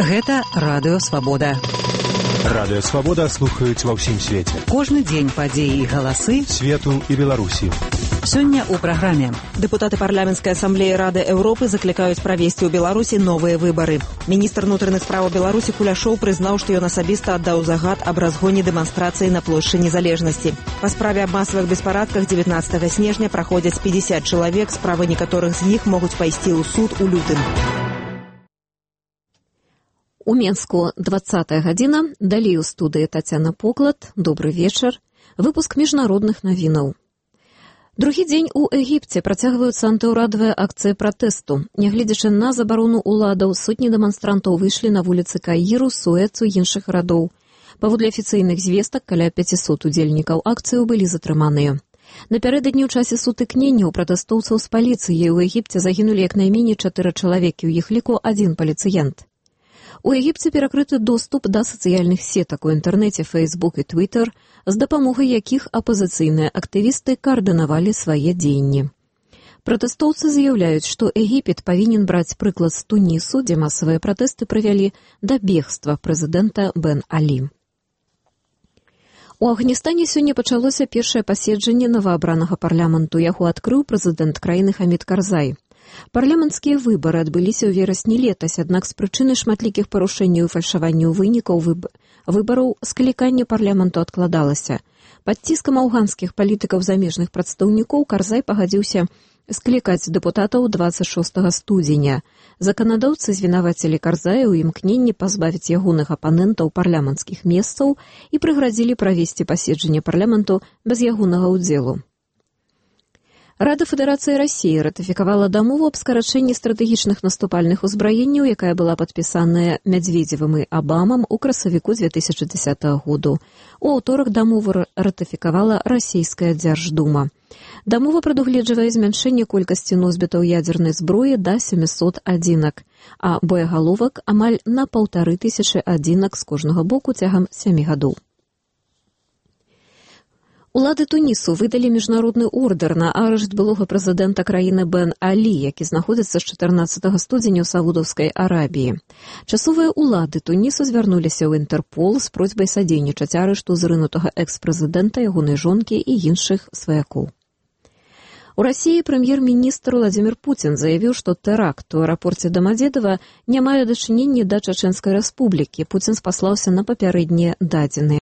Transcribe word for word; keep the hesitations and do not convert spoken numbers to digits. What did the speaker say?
Гэта Радыё Свабода. Радыё Свабода слухаюць ва ўсім свеце. Кожны дзень падзеі і галасы свету і Беларусі. Сёння ў праграме. Дэпутаты парламенцкай асамблеі Рады Еўропы заклікаюць правесці ў Беларусі новыя выбары. Міністр унутраных справаў Беларусі Куляшоў прызнаў, што ён асабіста аддаў загад аб разгоне дэманстрацыі на плошчы Незалежнасці. Па справе аб масавых беспарадках дзевятнаццатага снежня праходзяць пятьдесят чалавек, справы некаторых з іх могуць пайсці ў суд у лютым. У Менску двадцатая гадзіна, далей у студыі Тацяна Поклад. Добры вечар. Выпуск міжнародных навінаў. Другі дзень у Егіпце працягваюцца антыўрадавыя акцыі пратэсту. Нягледзячы на забарону ўладаў, сотні дэманстрантаў выйшлі на вуліцы Каіру, Суэцу і іншых гарадоў. Паводле афіцыйных звестак, каля пяцісот удзельнікаў акцыю былі затрыманыя. Напярэдадні ў часе сутыкнення ў пратэстоўцаў з паліцыяй у Егіпце загінулі як найменей чатыры чалавекі, у іх ліку адзін паліцыянт. У Егіпце перакрыты доступ да сацыяльных сетак у інтэрнэце Facebook і Twitter, з дапамогай якіх апазіцыйныя актывісты каардынавалі свае дзеянні. Пратэстоўцы заяўляюць, што Егіпет павінен браць прыклад з Тунісу, дзе масавыя пратэсты прывялі да бегства прэзідэнта Бен Алі. У Афганістане сёння пачалося першае паседжанне новаабранага парламенту. Яго адкрыў прэзідэнт краіны Хамід Карзай. Парламенцкія выбары адбыліся ў верасні летась, аднак з прычыны шматлікіх парушэнняў і фальшаванняў вынікаў выб... выбараў скліканне парламенту адкладалася. Пад ціскам афганскіх палітыкаў замежных прадстаўнікоў Карзай пагадзіўся склікаць дэпутатаў дваццаць шостага студзеня. Заканадаўцы звінавацілі Карзая ў імкненні пазбавіць ягоных апанентаў парламенцкіх месцаў і прыградзілі правесці паседжанне парламенту без ягонага ўдзелу. Рада Федэрацыі Расіі ратыфікавала дамову аб скарачэнні стратэгічных наступальных узбраенняў, якая была падпісаная Мядзведзевым і Абамам у красавіку дзве тысячы дзесятага году. У аўторак дамову ратыфікавала расійская дзярждума. Дамова прадугледжвае змяншэнне колькасці носьбітаў ядзернай зброі да сямісот адзінак, а боегаловак амаль на паўтары тысячы адзінак з кожнага боку цягам сямі гадоў. Улады Тунісу выдалі міжнародны ордэр на арышт былога прэзідэнта краіны Бен Алі, які знаходзіцца з чатырнаццатага студзеня ў Саудаўскай Арабіі. Часовыя улады Тунісу звярнуліся ў Інтэрпол з просьбай садзейнічаць арышту зрынутага экс-прэзідэнта, ягонай жонкі і іншых сваякоў. У Расіі прэм'ер-міністр Владзімір Пуцін заявіў, што тэракт у аэрапорце Дамадзедава не мае дачынення да Чачэнскай рэспублікі. Пуцін спаслаўся на папярэднія дадзеныя.